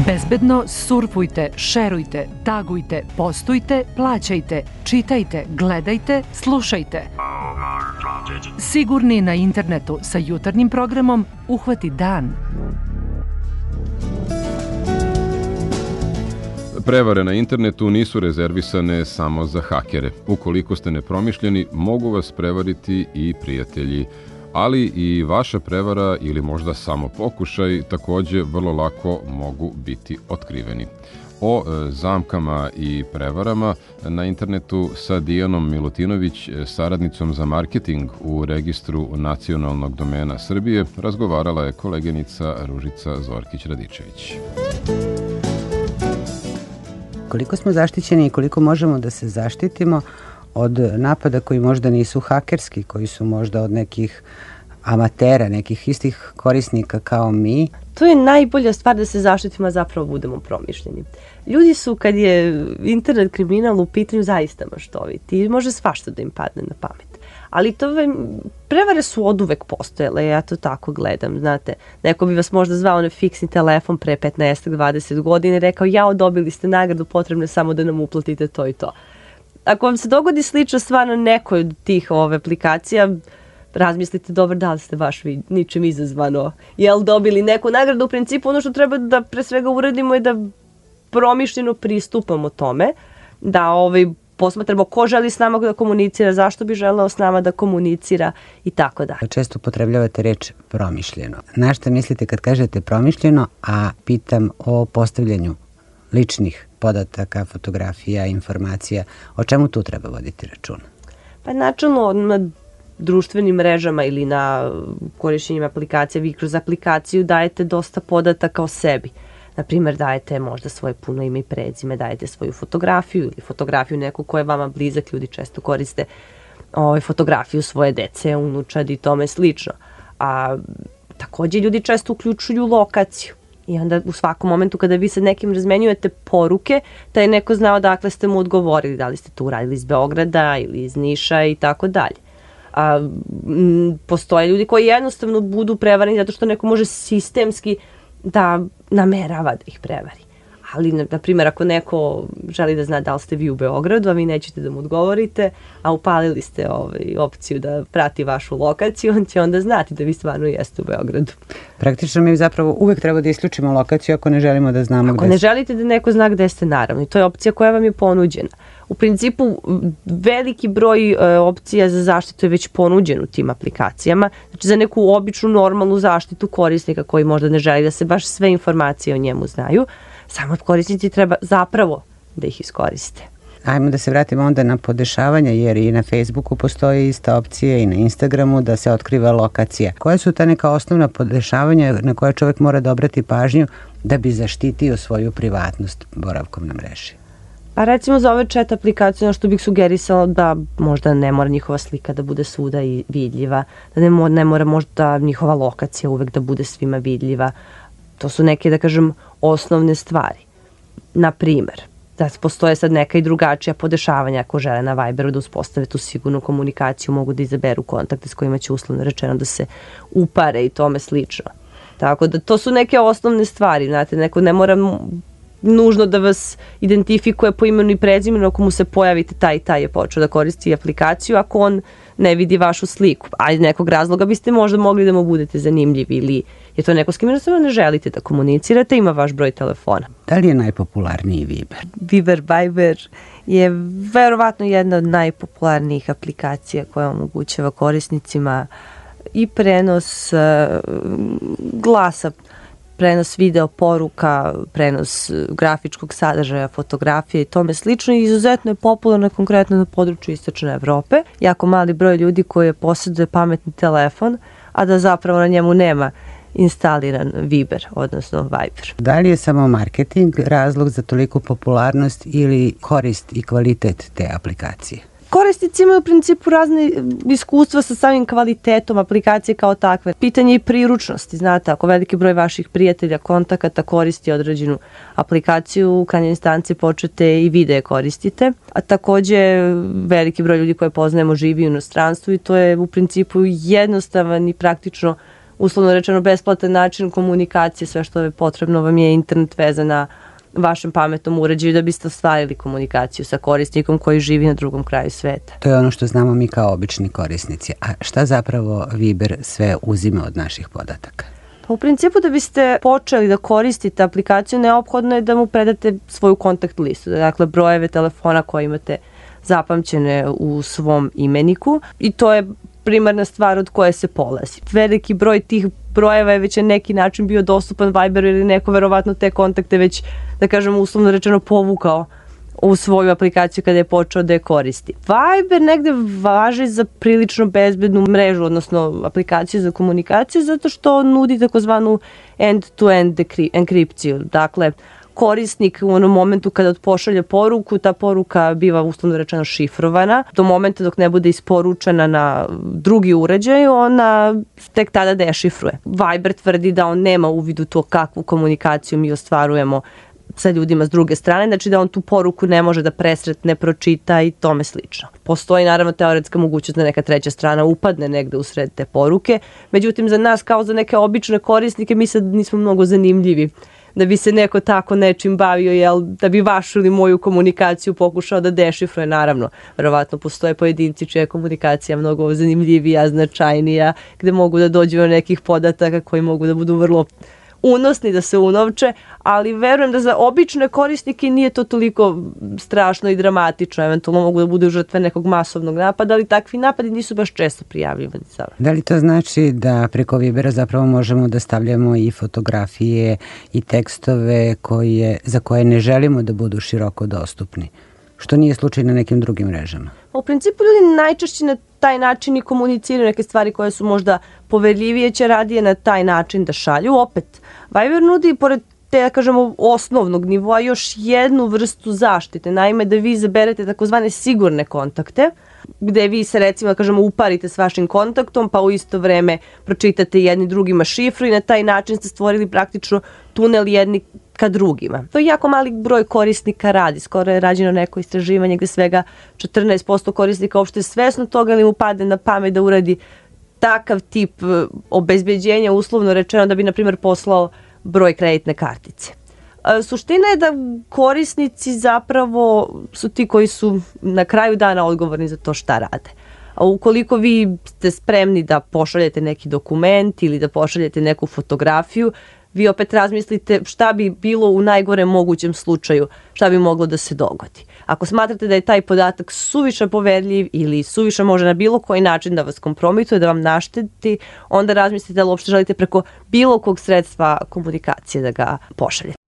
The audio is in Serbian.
Bezbedno surfujte, šerujte, tagujte, postujte, plaćajte, čitajte, gledajte, slušajte. Sigurni na internetu sa jutarnjim programom Uhvati dan. Prevare na internetu nisu rezervisane samo za hakere. Ukoliko ste nepromišljeni, mogu vas prevariti i prijatelji. Ali i vaša prevara ili možda samo pokušaj takođe vrlo lako mogu biti otkriveni. O zamkama i prevarama na internetu sa Dijanom Milutinović, saradnicom za marketing u Registru nacionalnog domena Srbije, razgovarala je koleginica Ružica Zorkić-Radičević. Koliko smo zaštićeni i koliko možemo da se zaštitimo od napada koji možda nisu hakerski, koji su možda od nekih amatera, nekih istih korisnika kao mi. To je najbolja stvar da se zaštitimo, a zapravo budemo promišljeni. Ljudi su, kad je internet kriminal u pitanju, zaista maštoviti i može svašta da im padne na pamet. Ali prevare su oduvek postojale, ja to tako gledam, znate. Neko bi vas možda zvao na fiksni telefon pre 15-20 godina i rekao, jao, dobili ste nagradu, potrebno je samo da nam uplatite to i to. Ako vam se dogodi slična stvar na nekoj od tih aplikacija, razmislite dobro da li ste baš ničim izazvano dobili neku nagradu. U principu ono što treba da pre svega uradimo je da promišljeno pristupamo tome, da posmatramo ko želi s nama da komunicira, zašto bi želeo s nama da komunicira i tako dalje. Često upotrebljavate reč promišljeno. Na šta mislite kad kažete promišljeno, a pitam o postavljanju ličnih podataka, fotografija, informacija, o čemu tu treba voditi računa? Pa načelno na društvenim mrežama ili na korišćenjem aplikacija, vi kroz aplikaciju dajete dosta podataka o sebi. Naprimer, dajete možda svoje puno ime i prezime, dajete svoju fotografiju ili fotografiju neku koja je vama blizak, ljudi često koriste fotografiju svoje dece, unučadi i tome slično. A takođe ljudi često uključuju lokaciju. I onda u svakom momentu kada vi sa nekim razmenjujete poruke, da je neko znao dakle ste mu odgovorili, da li ste to uradili iz Beograda ili iz Niša i tako dalje. Postoje ljudi koji jednostavno budu prevareni zato što neko može sistemski da namerava da ih prevari. Ali, na primjer, ako neko želi da zna da li ste vi u Beogradu, a vi nećete da mu odgovorite, a upalili ste opciju da prati vašu lokaciju, on će onda znati da vi stvarno jeste u Beogradu. Praktično mi zapravo uvek treba da isključimo lokaciju ako ne želimo da znamo gde ste. Ako ne želite da neko zna gde ste, naravno. I to je opcija koja vam je ponuđena. U principu, veliki broj opcija za zaštitu je već ponuđen u tim aplikacijama. Znači, za neku običnu, normalnu zaštitu korisnika koji možda ne želi da se baš sve informacije o njemu znaju, samo korisnici treba zapravo da ih iskoriste. Ajmo da se vratimo onda na podešavanja, jer i na Facebooku postoji ista opcija i na Instagramu da se otkriva lokacija. Koja su ta neka osnovna podešavanja na koje čovjek mora da obrati pažnju da bi zaštitio svoju privatnost boravkom na mreži? A recimo za ove chat aplikacije, što bih sugerisala da možda ne mora njihova slika da bude svuda i vidljiva, da ne mora možda njihova lokacija uvek da bude svima vidljiva. To su neke, da kažem, osnovne stvari. Naprimer, da postoje sad neka i drugačija podešavanja ako žele na Viberu da uspostave tu sigurnu komunikaciju, mogu da izaberu kontakte s kojima će uslovno rečeno da se upare i tome slično. Tako da to su neke osnovne stvari, znate, neko ne mora nužno da vas identifikuje po imenu i prezimenu ako mu se pojavite taj i taj je počeo da koristi aplikaciju ako on ne vidi vašu sliku. A iz nekog razloga biste možda mogli da mu budete zanimljivi ili je to neko s kim jednostavno ne želite da komunicirate, ima vaš broj telefona. Da li je najpopularniji Viber? Viber je verovatno jedna od najpopularnijih aplikacija koja omogućava korisnicima i prenos glasa, prenos video poruka, prenos grafičkog sadržaja, fotografije i tome slično. Izuzetno je popularno konkretno na području Istočne Evrope. Jako mali broj ljudi koji posjeduje pametni telefon, a da zapravo na njemu nema instaliran Viber, odnosno Viber. Da li je samo marketing razlog za toliku popularnost ili korist i kvalitet te aplikacije? Korisnici imaju u principu razne iskustva sa samim kvalitetom aplikacije kao takve. Pitanje i priručnosti, znate, ako veliki broj vaših prijatelja, kontakata koristi određenu aplikaciju, u krajnjoj instanci počete i videe koristite, a takođe veliki broj ljudi koje poznajemo živi u inostranstvu i to je u principu jednostavan i praktično uslovno rečeno besplatan način komunikacije, sve što je potrebno vam je internet veza na vašem pametnom uređaju da biste ostvarili komunikaciju sa korisnikom koji živi na drugom kraju sveta. To je ono što znamo mi kao obični korisnici. A šta zapravo Viber sve uzima od naših podataka? Pa u principu da biste počeli da koristite aplikaciju, neophodno je da mu predate svoju kontakt listu, dakle brojeve telefona koje imate zapamćene u svom imeniku i to je primarna stvar od koje se polazi. Veliki broj tih brojeva je već na neki način bio dostupan Viberu ili neko verovatno te kontakte već, da kažemo, uslovno rečeno povukao u svoju aplikaciju kada je počeo da je koristi. Viber negde važi za prilično bezbednu mrežu, odnosno aplikaciju za komunikaciju, zato što nudi takozvanu end-to-end enkripciju. Dakle, korisnik u onom momentu kada pošalje poruku, ta poruka biva uslovno rečeno šifrovana. Do momenta dok ne bude isporučena na drugi uređaj, ona tek tada dešifruje. Viber tvrdi da on nema uvid u to kakvu komunikaciju mi ostvarujemo sa ljudima s druge strane, znači da on tu poruku ne može da presretne, pročita i tome slično. Postoji naravno teoretska mogućnost da neka treća strana upadne negde usred te poruke, međutim za nas kao za neke obične korisnike mi sad nismo mnogo zanimljivi da bi se neko tako nečim bavio, da bi vašu ili moju komunikaciju pokušao da dešifruje, naravno. Verovatno postoje pojedinci čija je komunikacija mnogo zanimljivija, značajnija, gde mogu da dođu do nekih podataka koji mogu da budu vrlo unosni, da se unovče, ali verujem da za obične korisnike nije to toliko strašno i dramatično. Eventualno mogu da budu žrtve nekog masovnog napada, ali takvi napadi nisu baš često prijavljivani. Da li to znači da preko Vibera zapravo možemo da stavljamo i fotografije i tekstove za koje ne želimo da budu široko dostupni? Što nije slučaj na nekim drugim mrežama? U principu ljudi najčešće na taj način i komuniciraju neke stvari koje su možda poverljivije, će radije na taj način da šalju. Opet, Viber nudi pored te, da kažemo, osnovnog nivoa još jednu vrstu zaštite. Naime, da vi izaberete takozvane sigurne kontakte, gde vi se recimo, da kažemo, uparite s vašim kontaktom, pa u isto vreme pročitate jedni drugima šifru i na taj način ste stvorili praktično tunel jedni ka drugima. To je jako mali broj korisnika radi. Skoro je rađeno neko istraživanje gde svega 14% korisnika uopšte svesno toga ili mu pade na pamet da uradi takav tip obezbeđenja, uslovno rečeno, da bi, na primjer, poslao broj kreditne kartice. Suština je da korisnici zapravo su ti koji su na kraju dana odgovorni za to šta rade. A ukoliko vi ste spremni da pošaljete neki dokument ili da pošaljete neku fotografiju, vi opet razmislite šta bi bilo u najgorem mogućem slučaju, šta bi moglo da se dogodi. Ako smatrate da je taj podatak suviše poverljiv ili suviše može na bilo koji način da vas kompromituje, da vam našteti, onda razmislite da li uopšte želite preko bilo kog sredstva komunikacije da ga pošaljete.